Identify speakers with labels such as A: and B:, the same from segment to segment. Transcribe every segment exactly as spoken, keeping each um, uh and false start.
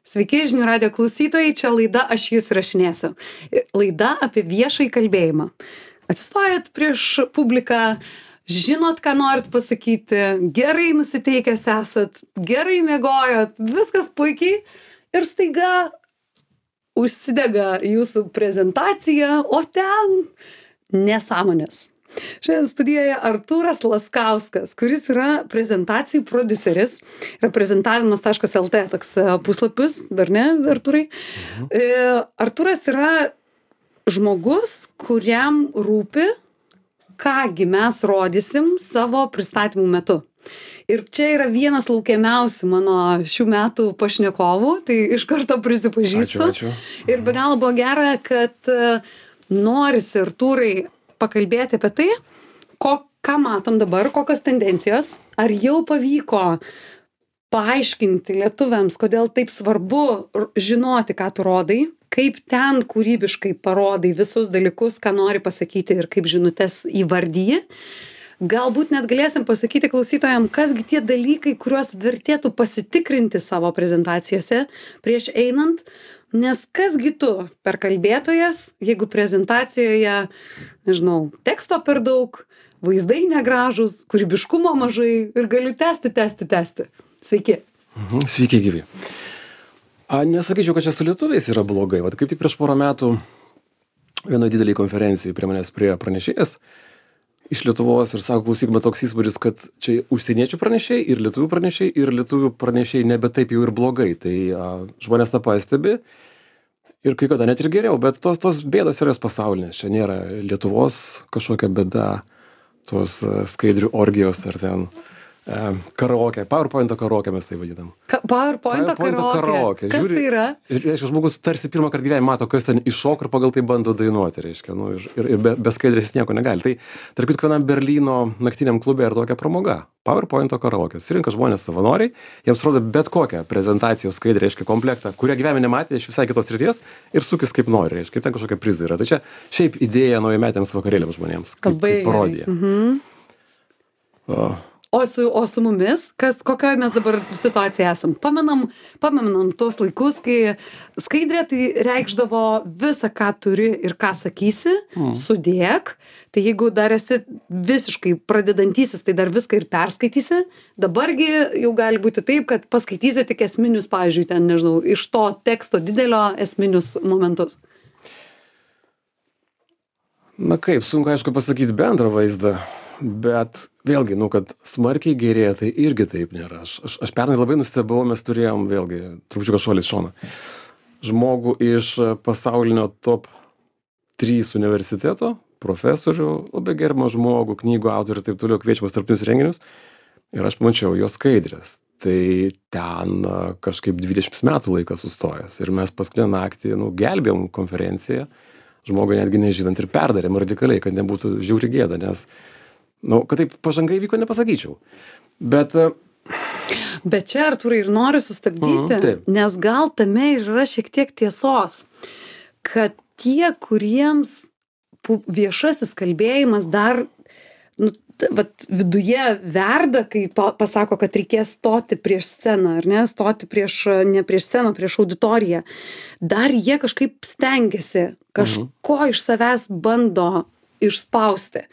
A: Sveiki, žinių radio klausytojai, čia laida Aš jūs rašinėsiu. Laida apie viešai kalbėjimą. Atsistojat prieš publiką, žinot, ką norit pasakyti, gerai nusiteikęs esat, gerai miegojot, viskas puikiai ir staiga užsidega jūsų prezentacija, o ten nesąmonės. Šiandien studijoje Artūras Laskauskas, kuris yra prezentacijų prodiuseris, yra prezentavimas taškas el tė toks puslapis, dar ne, Artūrai? Mhm. Artūras yra žmogus, kuriam rūpi, kągi mes rodysim savo pristatymų metu. Ir čia yra vienas laukiamiausių mano šių metų pašnekovų, tai iš karto prisipažįstu.
B: Ačiū, ačiū.
A: Ir be galo buvo gera, kad norisi, Artūrai, pakalbėti apie tai, ko, ką matom dabar, kokios tendencijos, ar jau pavyko paaiškinti lietuviams, kodėl taip svarbu žinoti, ką tu rodai, kaip ten kūrybiškai parodai visus dalykus, ką nori pasakyti ir kaip žinutes įvardyji. Galbūt net galėsim pasakyti klausytojams, kasgi tie dalykai, kuriuos vertėtų pasitikrinti savo prezentacijose prieš einant, nes kasgi tu per kalbėtojas, jeigu prezentacijoje, nežinau, teksto per daug, vaizdai negražūs, kūrybiškumo mažai ir galiu tęsti, tęsti, tęsti. Sveiki.
B: Mhm, sveiki, gyvi. A, nesakyčiau, kad čia su lietuviais yra blogai. Vat kaip tik prieš porą metų vienoje didelėje konferencijoje prie manęs prie pranešėjas iš Lietuvos ir sako, klausyk, bet toks įspūdis, kad čia užsieniečių pranešėjai ir lietuvių pranešėjai ir lietuvių pranešėjai nebe taip jau ir blogai. Tai a, žmonės tą pastebi ir kai kada net ir geriau, bet tos, tos bėdos yra jos pasaulinės. Čia nėra Lietuvos kažkokia bėda, tos a, skaidrių orgijos ar ten a, karaoke, PowerPoint'o karaoke mes tai vadinam.
A: Ka PowerPoint'o
B: PowerPoint'o
A: karaoke. Kas
B: Žiūri,
A: tai yra?
B: Ir, reiškia, žmogus tarsi pirmą kartą gyvenime mato, kas ten iššok ir pagal tai bando dainuoti, reiškia, nu, ir, ir, ir be, be skaidrės nieko negali. Tai, tarp kitko, vienam Berlyno naktiniam klube yra tokia pramoga. PowerPoint'o karaoke. Surinka žmonės savanoriai, jiems rodo bet kokią prezentacijos skaidrę, reiškia, komplektą, kurią gyvenime nematė iš visai kitos srities ir sukis kaip nori, reiškia, kaip ten kažkokia prizai yra. Tai čia šiaip idėja naujametėms vakarėliams žmonėms, kaip, kaip parodija.
A: Mhm.
B: O.
A: O su, o su mumis, kas, kokioje mes dabar situacijoje esam? Pamenam, pamenam tuos laikus, kai skaidrė tai reikšdavo visą, ką turi ir ką sakysi, mm. sudėk. Tai jeigu dar esi visiškai pradedantysis, tai dar viską ir perskaitysi. Dabargi jau gali būti taip, kad paskaitysi tik esminius, pavyzdžiui, ten, nežinau, iš to teksto didelio esminius momentus.
B: Na kaip, sunku aišku pasakyti bendrą vaizdą. Bet vėlgi, nu, kad smarkiai gerėja, tai irgi taip nėra. Aš, aš, aš pernai labai nustebau, mes turėjom vėlgi, trupučiuką šuolis šoną, žmogų iš pasaulinio top trys universiteto, profesorių, labai gerbamą žmogų, knygų autorių ir taip toliau, kviečiamas tarptautinius renginius. Ir aš pamačiau jos skaidrės. Tai ten kažkaip dvidešimt metų laikas sustojęs. Ir mes paskutinę naktį, nu, gelbėjom konferenciją, žmogui netgi nežinant ir perdarėm radikaliai, kad nebūtų žiauri gėda, nes nu, kad taip pažangai vyko, nepasakyčiau. Bet...
A: Bet čia, Artūrai, ir noriu sustabdyti,
B: mm,
A: nes gal tame ir yra šiek tiek tiesos, kad tie, kuriems viešasis kalbėjimas dar nu, vat, viduje verda, kai pasako, kad reikės stoti prieš sceną, ar ne, stoti prieš, ne prieš sceną, prieš auditoriją, dar jie kažkaip stengiasi, kažko mhm. iš savęs bando išspausti.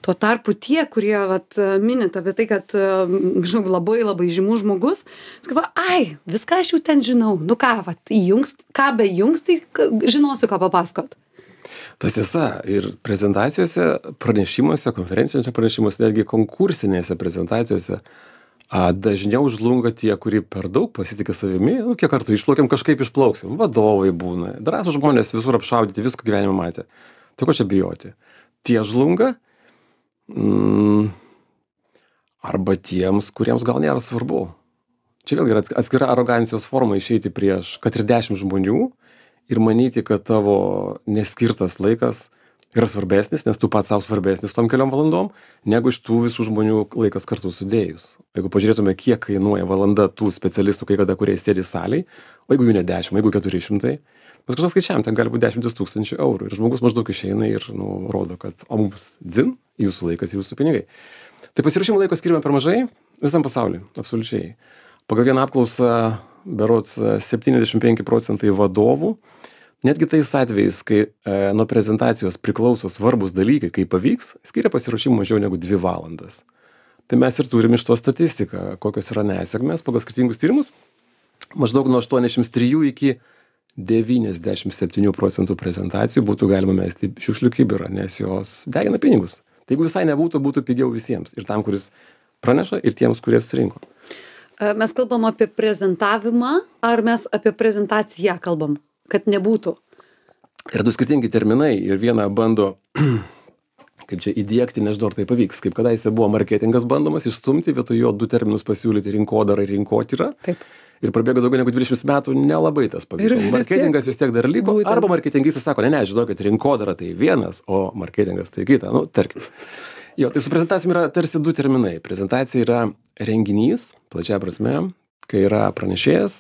A: Tuo tarpu tie, kurie vat, minit apie tai, kad žinau, labai labai žymus žmogus, skaiva, ai, viską aš jau ten žinau, nu ką, vat, įjungs, ką be jungs, tai žinosiu, ką papasakot.
B: Tas tiesa, ir prezentacijose, pranešimuose, konferencijose pranešimuose, netgi konkursinėse prezentacijose a, dažniau žlunga tie, kurie per daug pasitikė savimi, nu, kiek kartų išplaukiam, kažkaip išplauksim, vadovai būna, drąsūs žmonės visur apšaudyti, visko gyvenime matė. Tai ko čia bijoti? Tie žlunga, mm, arba tiems, kuriems gal nėra svarbu. Čia vėlgi yra atskira arogancijos forma išeiti prieš, kad ir dešimt žmonių ir manyti, kad tavo neskirtas laikas yra svarbesnis, nes tu pats savo svarbesnis tom keliom valandom, negu iš tų visų žmonių laikas kartu sudėjus. Jeigu pažiūrėtume, kiek kainuoja valanda tų specialistų, kai kada kurie sėdi salėj, o jeigu jų ne dešimt, jeigu keturi šimtai, mes kažkas skaičiavam, ten gali būti dešimtis tūkstančių eurų ir žmogus maždaug išeina ir nu, rodo, kad o mums dzin, jūsų laikas, jūsų pinigai. Tai pasirašymų laiko skiriame per mažai visam pasauliui, absoliučiai. Pagal vieną apklausą berods septyniasdešimt penki procentai vadovų, netgi tais atvejais, kai e, nuo prezentacijos priklauso svarbus dalykai, kaip pavyks, skiria pasiruošimui mažiau negu dvi valandas. Tai mes ir turim iš to statistiką, kokios yra nesėkmės pagal skirtingus tyrimus. Maždaug nuo aštuoniasdešimt trijų iki devyniasdešimt septynių procentų prezentacijų būtų galima mesti į šiukšlių kibirą, nes jos degina pinigus. Tai jeigu visai nebūtų, būtų pigiau visiems. Ir tam, kuris praneša, ir tiems, kurie surinko.
A: Mes kalbam apie prezentavimą, ar mes apie prezentaciją kalbam, kad nebūtų?
B: Yra du skirtingi terminai ir vieną bando, kaip čia įdiegti, nežinau, ar tai pavyks. Kaip kadaise buvo marketingas bandomas išstumti, vietoj jo du terminus pasiūlyti rinkodara ir rinkotyra. Taip. Ir prabėgo daugiau negu dvidešimt metų, nelabai tas pavyko. Marketingas vis tiek dar liko, būtent. Arba marketingistas sako, ne, ne, žinokit, rinkodara tai vienas, o marketingas tai kita, nu, tarkim. Jo, tai su prezentacijom yra tarsi du terminai. Prezentacija yra renginys, plačia prasme, kai yra pranešėjas,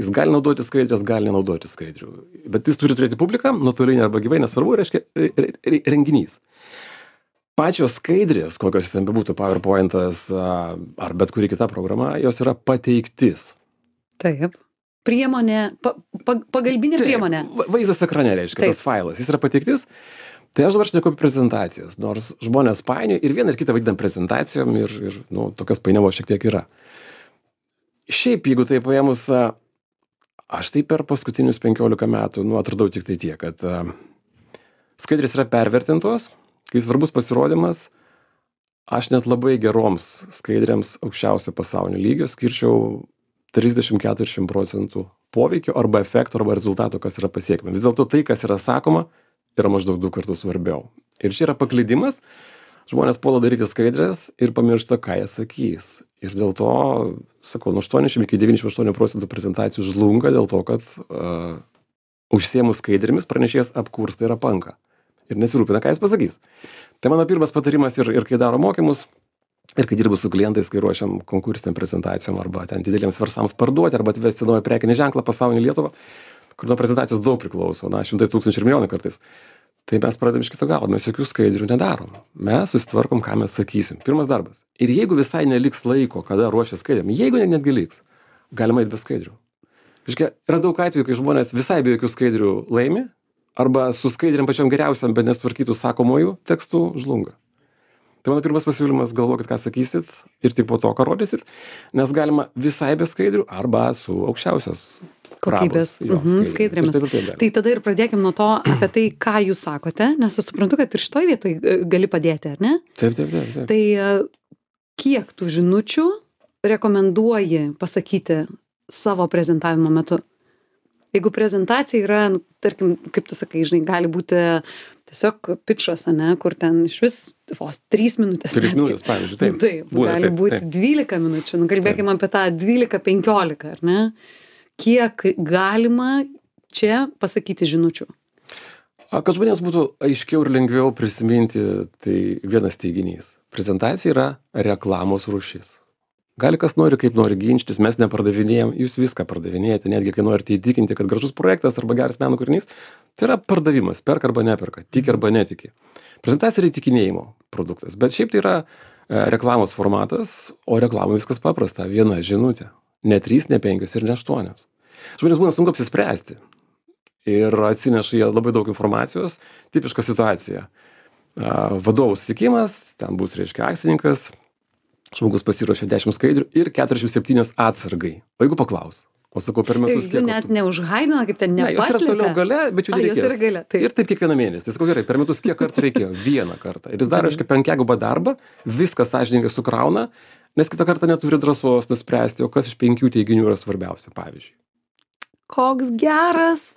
B: jis gali naudoti skaidrės, gali nenaudoti skaidrių. Bet jis turi turėti publiką, nuotolinį arba gyvai, nesvarbu, reiškia renginys. Pačios skaidrės, kokios jis ten bebūtų, PowerPointas ar bet kuri kita programa, jos yra pateiktis.
A: Taip. Priemonė, pa, pa, pagalbinė
B: Taip,
A: priemonė.
B: Vaizdas ekrane reiškia, Taip. Tas failas, jis yra pateiktis. Tai aš dabar šneku apie prezentacijas, nors žmonės painioja ir vieną ir kitą vadinam prezentacijom ir, ir nu, tokios painiavos šiek tiek yra. Šiaip, jeigu tai paėmus, aš tai per paskutinius penkiolika metų, nu, atradau tik tai tiek, kad uh, skaidrės yra pervertintos, kai svarbus pasirodymas, aš net labai geroms skaidrėms aukščiausio pasaulinio lygio skirčiau trisdešimt iki keturiasdešimt procentų poveikio arba efekto arba rezultato, kas yra pasiekime. Vis dėlto tai, kas yra sakoma, yra maždaug du kartus svarbiau. Ir čia yra paklydimas, žmonės puola daryti skaidrės ir pamiršta, ką jie sakys. Ir dėl to, sakau, nuo aštuoniasdešimt iki devyniasdešimt aštuonių procentų prezentacijų žlunga dėl to, kad uh, užsiėmus skaidrėmis pranešėjas apkursta ir apanka. Ir nesirūpina, ką jis pasakys. Tai mano pirmas patarimas ir, ir kai daro mokymus, ir kai dirbu su klientais, kai ruošiam konkursiniam prezentacijom arba ten dideliems versams parduoti arba atvesti naują prekinį ženklą pasaulinį Lietuvą, kur nuo prezentacijos daug priklauso, na, šimtai tūkstančių ir milijonai kartais. Tai mes pradedam iš kito galo, mes jokių skaidrių nedarom. Mes susitvarkom, ką mes sakysim. Pirmas darbas. Ir jeigu visai neliks laiko, kada ruošia skaidrėm, jeigu netgi liks, galima eiti be skaidrių. Iškia, yra daug atvejų, kai žmonės visai be jokių skaidrių laimi, arba su skaidrėm pačiom geriausiam, bet nesutvarkytų sakomųjų tekstų žlunga. Tai mano pirmas pasiūlymas, galvokit, ką sakysit ir tik po to, ką rodysit, nes galima visai be skaidrių arba su aukščiausios
A: kokybės mhm, skaidrėmis.
B: Taip, taip, taip.
A: Tai tada ir pradėkim nuo to apie tai, ką jūs sakote, nes aš suprantu, kad ir šitoj vietoj gali padėti, ar ne?
B: Taip, taip, taip. taip.
A: Tai kiek tų žinučių rekomenduoji pasakyti savo prezentavimo metu? Jeigu prezentacija yra, nu, tarkim, kaip tu sakai, žinai, gali būti tiesiog pitchas, ane, kur ten iš vis vos trys minutės.
B: Trys minutės, pavyzdžiui, taip.
A: Taip,
B: Būna,
A: gali
B: taip,
A: būti
B: taip.
A: dvylika minučių, nu, kalbėkime apie tą dvylika penkiolika, ar ne? Kiek galima čia pasakyti žinučių?
B: A, kad žmonėms būtų aiškiau ir lengviau prisiminti, tai vienas teiginys. Prezentacija yra reklamos rūšis. Gali kas nori, kaip nori ginčytis, mes nepardavinėjom, jūs viską pardavinėjate, netgi kai norite įtikinti, kad gražus projektas arba geras meno kūrinys, tai yra pardavimas, perka arba neperka, tiki arba netiki. Prezentacija yra įtikinėjimo produktas, bet šiaip tai yra e, reklamos formatas, o reklamai viskas paprasta, viena žinutė, ne trys, ne penkios ir ne aštuonios. Žmonės būna sunku apsispręsti ir atsineša jie labai daug informacijos, tipiška situacija. A, vadovų susitikimas, ten bus, reiškia, akcininkas, žmogus pasiruošė dešimt skaidrių ir keturiasdešimt septynios atsargai. O jeigu paklaus, o sakau, per metus kiek...
A: Jų net neužhaidina, kaip ten nepaslėpia.
B: Ne, jos yra toliau gale, bet jų nereikės.
A: A, jos yra gale, taip.
B: Ir taip kiekvieną mėnesį. Tai sakau, gerai, per metus kiek kartų reikėjo? Vieną kartą. Ir jis daro, reiškia, penkiagubą darbą, viską sąžiningai sukrauna, nes kitą kartą neturi drąsos nuspręsti, o kas iš penkių teiginių yra svarbiausia, pavyzdžiui.
A: Koks geras!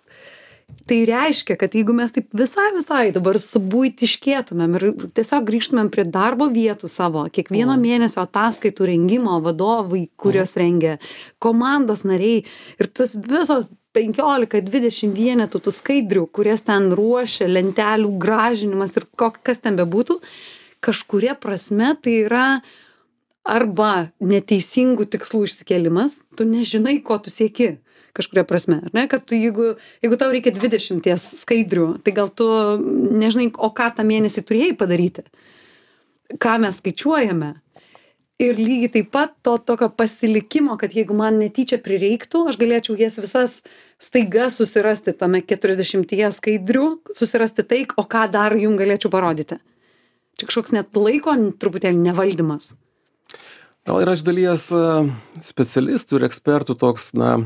A: Tai reiškia, kad jeigu mes taip visai visai dabar subuitiškėtumėm ir tiesiog grįžtumėm prie darbo vietų savo, kiekvieno mm. mėnesio ataskaitų rengimo vadovai, kurios mm. rengia, komandos nariai ir tas visos penkiolika dvidešimt vienetų tų skaidrių, kurias ten ruošia, lentelių gražinimas ir kas ten bebūtų, kažkuria prasme tai yra arba neteisingų tikslų išsikėlimas, tu nežinai, ko tu sieki. Kažkuria prasme, ar ne? Kad tu, jeigu, jeigu tau reikia dvidešimties skaidrių, tai gal tu nežinai, o ką tą mėnesį turėjai padaryti. Ką mes skaičiuojame. ir lygiai taip pat to tokio pasilikimo, kad jeigu man netyčia prireiktų, aš galėčiau jas visas staiga susirasti tame keturiasdešimtyje skaidrių, susirasti tai, o ką dar jum galėčiau parodyti. Čia kažkoks net laiko truputėlį nevaldymas.
B: Gal yra iš dalies specialistų ir ekspertų toks, na,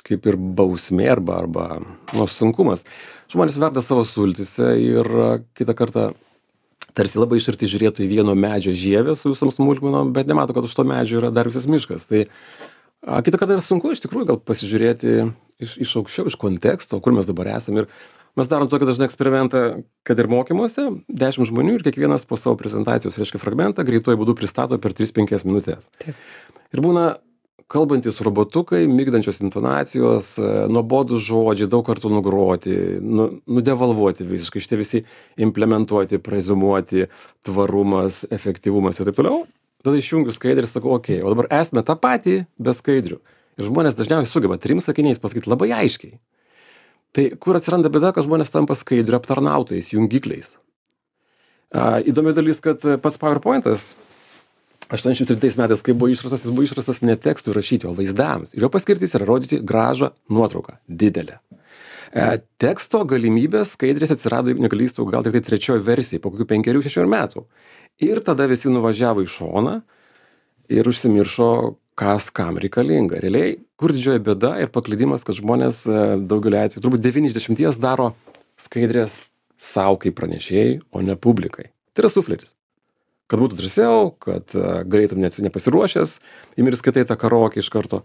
B: kaip ir bausmė arba, arba nu, sunkumas. Žmonės verda savo sultyse ir kitą kartą tarsi labai išarti žiūrėtų į vieno medžio žievę su visom smulkmenom, bet nemato, kad už to medžio yra dar visas miškas. Tai a, kitą kartą yra sunku iš tikrųjų gal pasižiūrėti iš, iš aukščiau, iš konteksto, kur mes dabar esame. Ir mes darom tokį dažnai eksperimentą, kad ir mokymuose, dešimt žmonių ir kiekvienas po savo prezentacijos, reiškia, fragmentą greituoju būdu pristato per tris penkias minutės. Taip. Ir būna kalbantis robotukai, migdančios intonacijos, nuobodūs žodžiai, daug kartų nugroti, nu, nudevalvuoti visiškai, šitie visi implementuoti, prezumuoti, tvarumas, efektyvumas ir taip toliau. Tada išjungiu skaidrį ir sakau, okei, okay, o dabar esame tą patį be skaidrių. Ir žmonės dažniausiai sugeba trim sakiniais pasakyti labai aiškiai. Tai kur atsiranda bėda, kad žmonės tampa skaidrių aptarnautais, jungikliais. A, įdomi dalis, kad pats PowerPointas aštuoniasdešimt septintais metais, kai buvo išrastas, jis buvo išrastas ne tekstui rašyti, o vaizdams. Ir jo paskirtis yra rodyti gražą nuotrauką, didelę. E, teksto galimybės skaidrės atsirado, jeigu negalystų, gal tik tai trečioji versija, po kokių penkerių, šešių metų. Ir tada visi nuvažiavo į šoną ir užsimiršo, kas kam reikalinga. Realiai, kur didžioji bėda ir paklydimas, kad žmonės daugelį atveju, turbūt devyni iš dešimties daro skaidrės savo kaip pranešėjai, o ne publikai. Tai yra sufleris. Kad būtų drąsiau, kad galėtum net nepasiruošęs, įmir skaitai tą karaokę iš karto.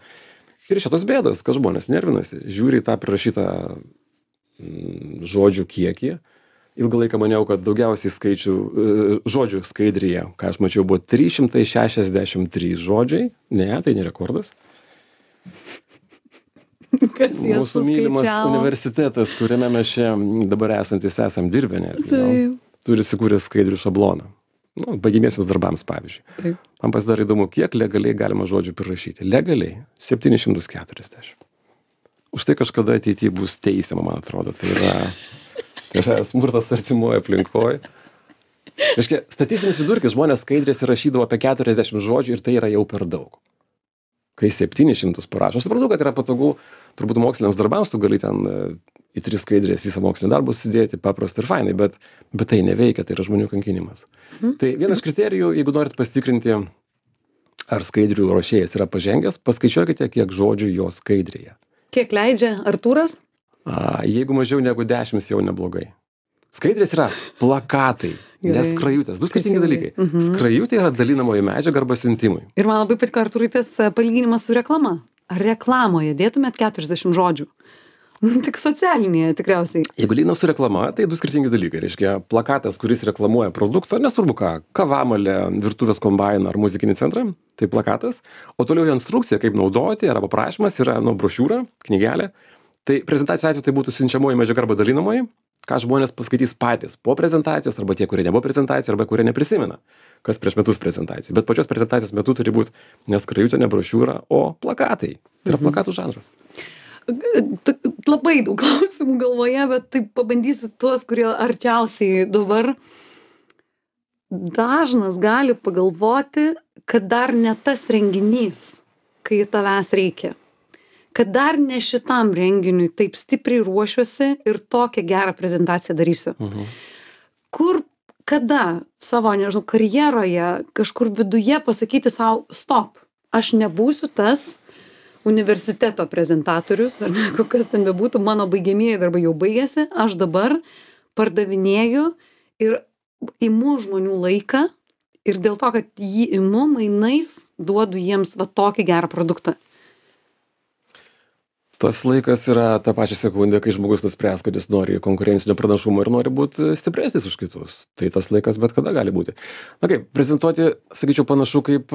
B: Ir šitos bėdos, kad žmonės nervinasi, žiūri į tą prirašytą mm, žodžių kiekį. Ilgą laiką maniau, kad daugiausiai skaičių, žodžių skaidrėje, ką aš mačiau, buvo trys šimtai šešiasdešimt trys žodžiai. Ne, tai ne rekordas.
A: Kas
B: Mūsų mylimas universitetas, kuriame mes čia dabar esantis esam dirbę, ne, nu, turi įsikūręs skaidrių šabloną. Nu, baigimiesiams darbams, pavyzdžiui. Taip. Man pasidarė įdomu, kiek legaliai galima žodžių prirašyti. Legaliai septyni šimtai keturiasdešimt. Už tai kažkada ateityje bus teisiama, man atrodo. Tai yra, tai yra smurtas artimoje aplinkoje. Reiškia, statistinis vidurkis žmonės skaidrės rašydavo apie keturiasdešimt žodžių ir tai yra jau per daug. Kai septynis šimtus parašo. Aš supratau, kad yra patogu, turbūt moksliniams darbams tu gali ten į tris skaidrės visą mokslinį darbą sudėti, paprasta ir fainai, bet, bet tai neveikia, tai yra žmonių kankinimas. Mhm. Tai vienas kriterijų, jeigu norit pasitikrinti, ar skaidrių ruošėjas yra pažengęs, paskaičiuokite, kiek žodžių jo skaidrėje.
A: Kiek leidžia Artūras?
B: A, jeigu mažiau negu dešimt, jau neblogai. Skaidrės yra plakatai, ne skrajutės. Du skirtingi dalykai. Mhm. Skrajutė yra dalinamoji medžiaga arba siuntimui.
A: Ir man labai patiko Artūrai tas palyginimas su reklama. Ar reklamoje dėtumėt keturiasdešimt žodžių? Tik socialinėje tikriausiai.
B: Jeigu lyginam su reklama, tai du skirtingi dalykai. Reiškia, plakatas, kuris reklamuoja produktą, nesvarbu ką, kavamalę, virtuvės kombainą ar muzikinį centrą, tai plakatas. O toliau instrukcija, kaip naudoti, arba prašymas yra nu, brošiūra, knygelė. Tai prezentacijos atveju tai būtų siunčiamoji medžiaga arba dalinamoji, ką žmonės paskaitys patys po prezentacijos, arba tie, kurie nebuvo prezentacijos, arba kurie neprisimena, kas prieš metus prezentacijų. Bet pačios prezentacijos metu turi būti ne skrajutė, ne brošiūra, o plakatai. Tai yra plakatų žanras.
A: Labai daug klausimų galvoje, bet taip pabandysiu tuos, kurie arčiausiai dabar. Dažnas gali pagalvoti, kad dar ne tas renginys, kai tavęs reikia. Kad dar ne šitam renginiui taip stipriai ruošiuosi ir tokią gerą prezentaciją darysiu. Mhm. Kur, kada savo, nežinau, karjeroje, kažkur viduje pasakyti savo, stop, aš nebūsiu tas universiteto prezentatorius, ar ne, kokias ten bebūtų, mano baigiamieji darbai jau baigėsi, aš dabar pardavinėju ir imu žmonių laiką ir dėl to, kad jį imu, mainais duodu jiems va tokį gerą produktą.
B: Tas laikas yra tą pačią sekundę, kai žmogus nuspręs, kad jis nori konkurencinio pranašumo ir nori būti stipresnis už kitus. Tai tas laikas bet kada gali būti. Na kaip, prezentuoti, sakyčiau, panašu kaip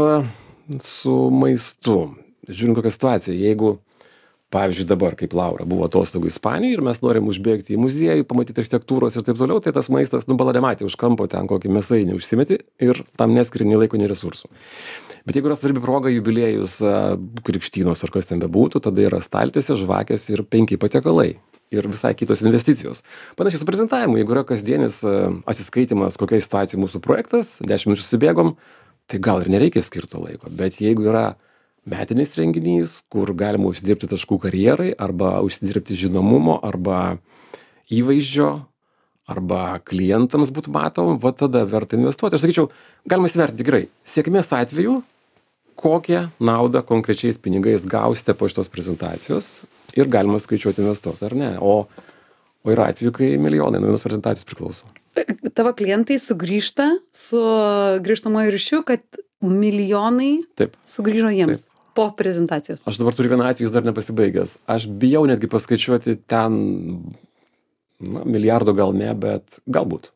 B: su maistu. Žiūrint kokią situaciją, jeigu, pavyzdžiui, dabar, kaip Laura, buvo atostogų Ispanijoje ir mes norim užbėgti į muziejų, pamatyti architektūros ir taip toliau, tai tas maistas, nu, baladematė už kampo ten kokį mėsainį užsimeti ir tam neskiri nei laiko, nei resursų. Bet jeigu yra svarbi proga, jubiliejus, krikštynos ar kas ten bebūtų, tada yra staltiesė, žvakės ir penki patiekalai. Ir visai kitos investicijos. Panašiai su prezentavimu, jeigu yra kasdienis atsiskaitimas, kokia situacija mūsų projektas, dešimt minučių susibėgom, tai gal ir nereikia skirto laiko. Bet jeigu yra metinis renginys, kur galima užsidirbti taškų karjerai, arba užsidirbti žinomumo, arba įvaizdžio, arba klientams būtų matom, va tada verta investuoti. Aš sakyčiau, galima įsivertinti gerai. Sėkmės atveju, kokią naudą konkrečiais pinigais gausite po šitos prezentacijos ir galima skaičiuoti investuoti, ar ne. O, o yra atveju, kai milijonai nuo vienos prezentacijos priklauso.
A: Tavo klientai sugrįžta su grįžtamojo ryšiu, kad milijonai
B: Taip.
A: sugrįžo jiems
B: Taip.
A: po prezentacijos.
B: Aš dabar turiu vieną atvejį, jis dar nepasibaigęs. Aš bijau netgi paskaičiuoti ten, na, milijardo gal ne, bet galbūt.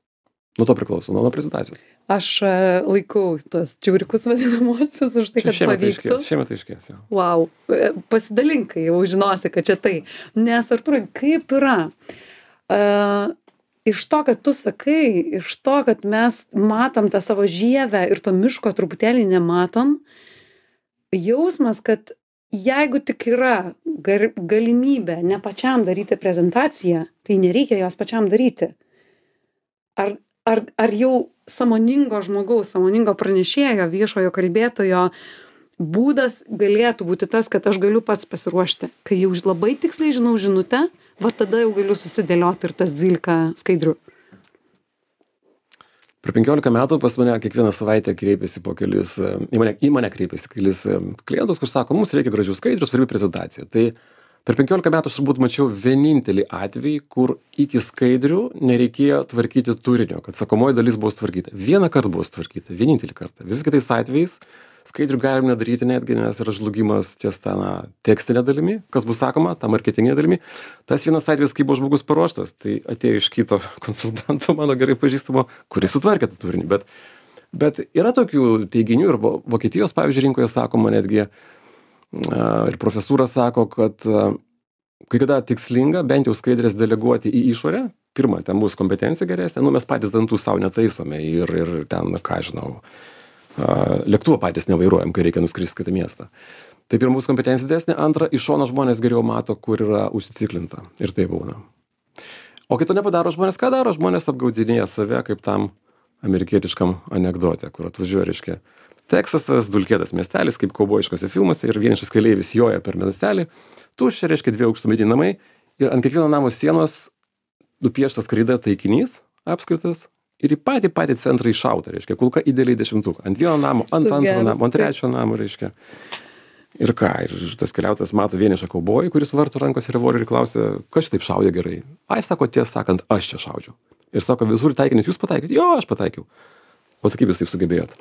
B: Nuo to priklauso, nuo, nuo prezentacijos.
A: Aš e, laikau tuos čiauriukus vadinamosius už tai, kad
B: Šiemet
A: pavyktų.
B: aiškės, šiemet aiškės, jo.
A: Wow, E, pasidalink, kai jau žinosi, kad čia tai. Nes, Artūrai, kaip yra? Uh, iš to, kad tu sakai, iš to, kad mes matom tą savo žievę ir to miško truputėlį nematom, jausmas, kad jeigu tik yra gar, galimybė ne pačiam daryti prezentaciją, tai nereikia jos pačiam daryti. Ar, ar, ar jau sąmoningo žmogaus, sąmoningo pranešėjo, viešojo kalbėtojo būdas galėtų būti tas, kad aš galiu pats pasiruošti. Kai jau labai tiksliai žinau žinutę, va tada jau galiu susidėlioti ir tas dvylika skaidrių.
B: Per penkiolika metų pas mane kiekvieną savaitę kreipiasi po kelis, į mane, į mane kreipiasi kelis klientus, kur sako, mums reikia gražių skaidrių, svarbi prezentacija. Tai per penkiolika metų aš turbūt mačiau vienintelį atvejį, kur iki skaidrių nereikėjo tvarkyti turinio, kad sakomoji dalis buvo tvarkyta. Vieną kartą buvo tvarkyta, vienintelį kartą. Visais kitais atvejais skaidrių galim nedaryti netgi, nes yra žlugimas ties tą na, tekstinė dalimi, kas bus sakoma, tą marketinginė dalimi. Tas vienas atvejis, kai buvo žmogus paruoštas, tai atėjo iš kito konsultanto, mano gerai pažįstamo, kuris sutvarkė tą turinį. Bet, bet yra tokių teiginių ir Vokietijos, pavyzdžiui, rinkoje sakoma netgi, ir profesūra sako, kad kai kada tikslinga bent jau skaidrės deleguoti į išorę, pirma, ten bus kompetencija geresnė, nu mes patys dantų savo netaisome ir, ir ten, ką žinau, lėktuvą patys nevairuojam, kai reikia nuskristi kitą miestą. Tai pirma bus kompetencija didesnė, antra, iš šono žmonės geriau mato, kur yra užsiciklinta. Ir tai būna. O kito nepadaro žmonės, ką daro? Žmonės apgaudinėja save kaip tam amerikietiškam anekdote, kur atvažiuoja, reiškia, Teksasas, dulkėtas miestelis, kaip kaubojiškose filmuose, ir vienišas keleivis joja per miestelį, tuščia, reiškia, dviejų aukštų mediniai namai, ir ant kiekvieno namo sienos nupieštas kreida taikinys apskritas, ir į patį patį centrą iššauta, reiškia, kulka idealiai dešimtuką. Ant vieno namo, ant antro namo, ant trečio namo, reiškia. Ir ką, ir tas keliautojas mato vienišą kaubojį, kuris varto rankose revolverį ir klausia, kas čia taip šaudė gerai. Ai, sako, tiesą sakant, aš čia šaudžiau. Ir sako, visur taikinius jūs pataikėt? Jo, aš pataikiau. O tai kaip jūs taip sugebėjot?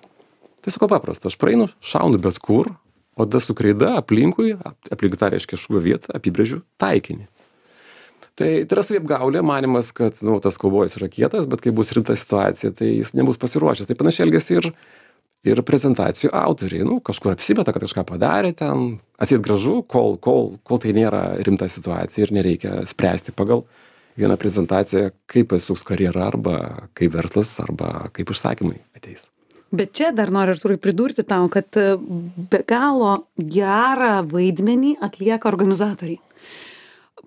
B: Tai sako paprasta, aš praeinu, šaunu bet kur, o tada su kreida aplinkui, aplink tą, reiškia, šūvio vietą, apibrėžiu taikinį. Tai tai yra saviapgaulė, manimas, kad nu, tas kaubojus yra kietas, bet kai bus rimta situacija, tai jis nebus pasiruošęs. Tai panašiai elgiasi ir, ir prezentacijų autoriai. Nu, kažkur apsimeta, kad kažką padarė ten, atseit gražu, kol, kol, kol tai nėra rimta situacija ir nereikia spręsti pagal vieną prezentaciją, kaip pasuks karjera arba kaip verslas arba kaip užsakymai ateis.
A: Bet čia dar noriu, Artūrai, pridurti tau, kad be galo gerą vaidmenį atlieka organizatoriai.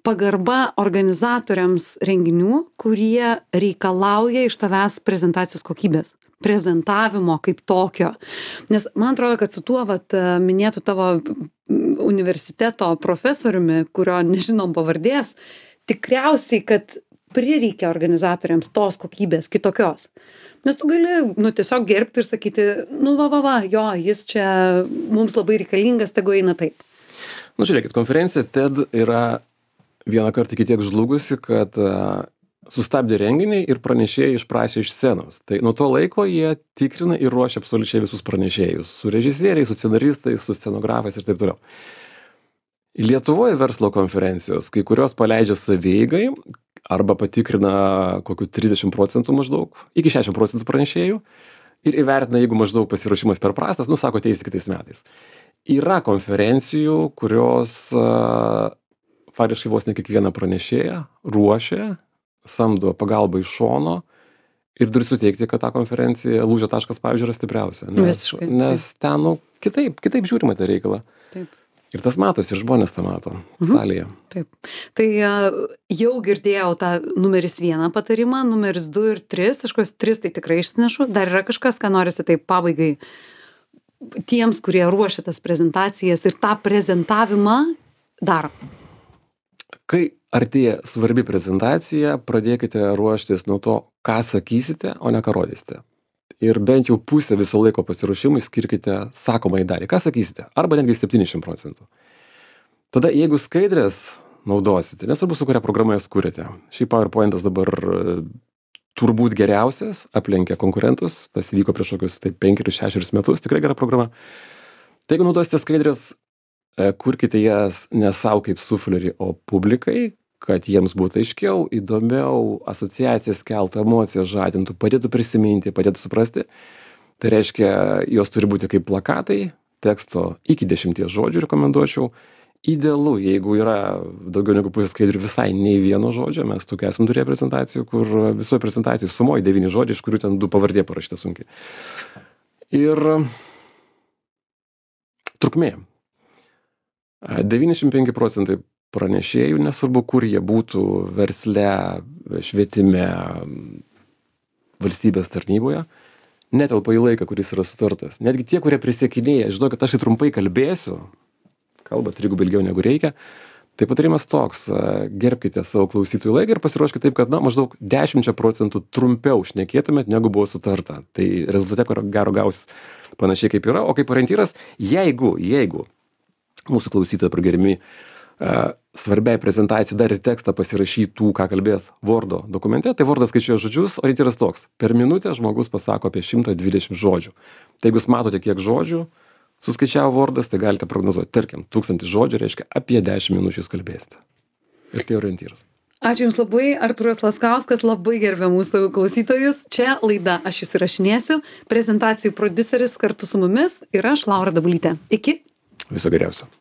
A: Pagarba organizatoriams renginių, kurie reikalauja iš tavęs prezentacijos kokybės, prezentavimo kaip tokio. Nes man atrodo, kad su tuo vat, minėtų tavo universiteto profesoriumi, kurio nežinom pavardės, tikriausiai, kad prireikia organizatoriams tos kokybės kitokios. Nes tu gali nu, tiesiog gerbti ir sakyti, nu va, va, va, jo, jis čia mums labai reikalingas, tegu eina taip.
B: Nu, žiūrėkit, konferencija TED yra vieną kartą iki tiek žlugusi, kad uh, sustabdė renginį ir pranešėjai išprašė iš scenos. Tai nuo to laiko jie tikrina ir ruošia absoliučiai visus pranešėjus. Su režisieriais, su scenaristais, su scenografais ir taip toliau. Lietuvoje verslo konferencijos, kai kurios paleidžia savieigai, arba patikrina kokių trisdešimt procentų maždaug, iki šešiasdešimt procentų pranešėjų ir įvertina, jeigu maždaug pasiruošimas per prastas, nu, sako, ateis kitais metais. Yra konferencijų, kurios uh, faktiškai vos ne kiekvieną pranešėją ruošia, samdo pagalbą iš šono ir turi suteikti, kad ta konferencija lūžio taškas, pavyzdžiui, yra stipriausia. Nes,
A: Visiškai,
B: nes ten, nu, kitaip, kitaip žiūrima tą reikalą.
A: Taip.
B: Ir tas matosi, ir žmonės tą mato mhm. salėje.
A: Taip. Tai jau girdėjau tą numeris vieną patarimą, numeris du ir tris, aš kokios tris tai tikrai išsinešu. Dar yra kažkas, ką norisi taip pabaigai tiems, kurie ruošia tas prezentacijas ir tą prezentavimą daro?
B: Kai artėja svarbi prezentacija, pradėkite ruoštis nuo to, ką sakysite, o ne ką rodysite. Ir bent jau pusę viso laiko pasiruošimui skirkite sakomai dalį. Ką sakysite? Arba netgi septyniasdešimt procentų. Tada, jeigu skaidrės naudosite, nesvarbu, su kuria programa jas kuriate. Šiaip PowerPointas dabar turbūt geriausias, aplenkia konkurentus, tas vyko prieš kokius tai penkerius, šešerius metus, tikrai gera programa. Tai jeigu naudosite skaidrės, kurkite jas ne savo kaip suflerį, o publikai, kad jiems būtų aiškiau, įdomiau, asociacijas keltų, emocijas žadintų, padėtų prisiminti, padėtų suprasti. Tai reiškia, jos turi būti kaip plakatai, teksto iki dešimties žodžių rekomenduočiau. Idealu, jeigu yra daugiau negu pusės skaidrių visai nei vieno žodžio, mes tokių esam turėję prezentacijų, kur visoje prezentacijai sumoji devyni žodžiai, iš kurių ten du pavardė parašyta sunkiai. Ir trukmė. devyniasdešimt penki procentai pranešėjų, nesvarbu, kur jie būtų versle, švietime, valstybės tarnyboje, netelpa į laiką, kuris yra sutartas. Netgi tie, kurie prisiekinėja, žinau, kad aš tai trumpai kalbėsiu, kalba trigubai ilgiau negu reikia, tai patarimas toks, gerbkite savo klausytojų laiką ir pasiruoškite taip, kad na, maždaug dešimt procentų trumpiau šnekėtumėt, negu buvo sutarta. Tai rezultate, ko gero gaus panašiai kaip yra, o kaip orientyras, jeigu, jeigu mūsų klausytojai pragerimi uh, svarbiai prezentacijai dar ir tekstą pasirašytų, ką kalbės Wordo dokumente, tai Wordas skaičiuoja žodžius, orientyras toks. Per minutę žmogus pasako apie šimtą dvidešimt žodžių. Tai jeigu jūs matote, kiek žodžių suskaičiavo Wordas, tai galite prognozuoti. Tarkim, tūkstantis žodžių reiškia apie dešimt minučių jūs kalbėsite. Ir tai orientyras.
A: Ačiū Jums labai, Artūras Laskauskas, labai gerbė mūsų klausytojus. Čia laida Aš Jus įrašinėsiu, prezentacijų prodiuseris kartu su mumis ir aš, Laura Dabulytė. Iki.
B: Viso geriausio.